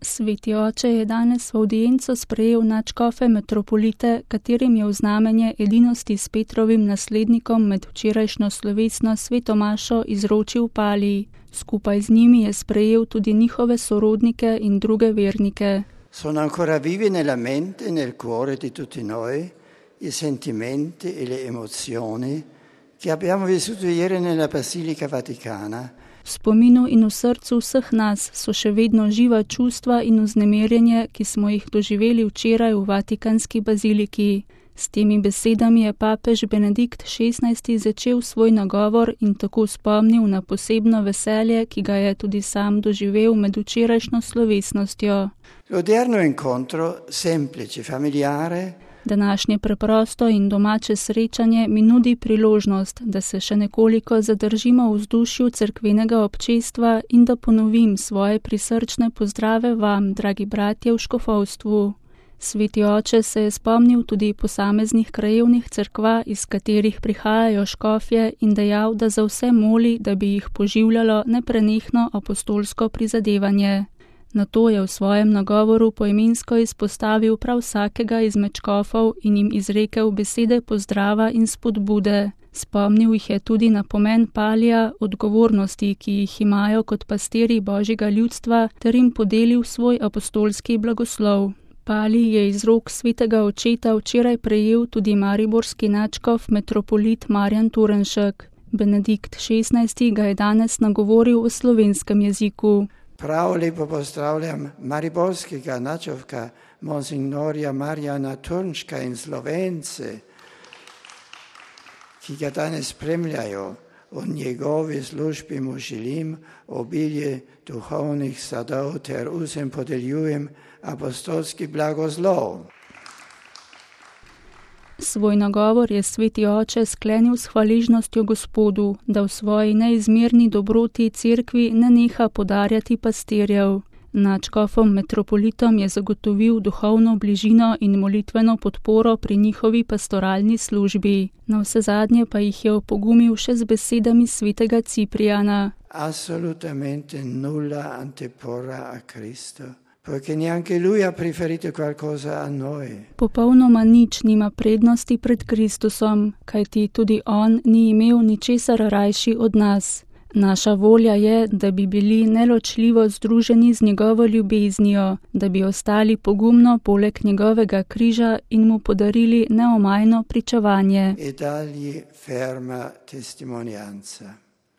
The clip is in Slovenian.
Sveti oče je danes v avdienco sprejel nadškofe metropolite, katerim je v znamenje edinosti s Petrovim naslednikom med včerajšnjo slovesno sveto mašo izročil palij. Skupaj z njimi je sprejel tudi njihove sorodnike in druge vernike. Sono ancora vivi nella mente e nel cuore di tutti noi i sentimenti e le emozioni che abbiamo vissuto ieri nella Basilica Vaticana. V spominu in v srcu vseh nas so še vedno živa čustva in vznemirjenje, ki smo jih doživeli včeraj v Vatikanski baziliki. S temi besedami je papež Benedikt XVI začel svoj nagovor in tako spomnil na posebno veselje, ki ga je tudi sam doživel med včerajšnjo slovesnostjo. L'odierno incontro semplice, familiare. Današnje preprosto in domače srečanje mi nudi priložnost, da se še nekoliko zadržimo v vzdušju cerkvenega občestva in da ponovim svoje prisrčne pozdrave vam, dragi bratje v škofovstvu. Sveti oče se je spomnil tudi posameznih krajevnih cerkva, iz katerih prihajajo škofje, in dejal, da za vse moli, da bi jih poživljalo neprenehno apostolsko prizadevanje. Nato je v svojem nagovoru poimensko izpostavil prav vsakega izmed škofov in jim izrekel besede pozdrava in spodbude. Spomnil jih je tudi na pomen palija, odgovornosti, ki jih imajo kot pastirji Božjega ljudstva, ter jim podelil svoj apostolski blagoslov. Palij je iz rok svetega očeta včeraj prejel tudi mariborski nadškof metropolit Marjan Turnšek. Benedikt XVI ga je danes nagovoril v slovenskem jeziku. Prav lepo pozdravljam mariborskega nadškofka monsignorja Marjana Turnška in Slovence, ki ga danes spremljajo. V njegovi službi mu želim obilje duhovnih sadov ter vsem podeljujem apostolski blagoslov. Svoj nagovor je sveti oče sklenil s hvaležnostjo Gospodu, da v svoji neizmerni dobroti cerkvi ne neha podarjati pastirjev. Nadškofom metropolitom je zagotovil duhovno bližino in molitveno podporo pri njihovi pastoralni službi. Navsezadnje pa jih je opogumil še z besedami svetega Ciprijana. Assolutamente nulla antepora a Cristo. Perché neanche lui ha preferito qualcosa a noi. Popolnoma nič nima prednosti pred Kristusom, kajti tudi on ni imel ničesar rajši od nas. Naša volja je, da bi bili neločljivo združeni z njegovo ljubeznijo, da bi ostali pogumno poleg njegovega križa in mu podarili neomajno pričevanje. E dargli ferma testimonianza.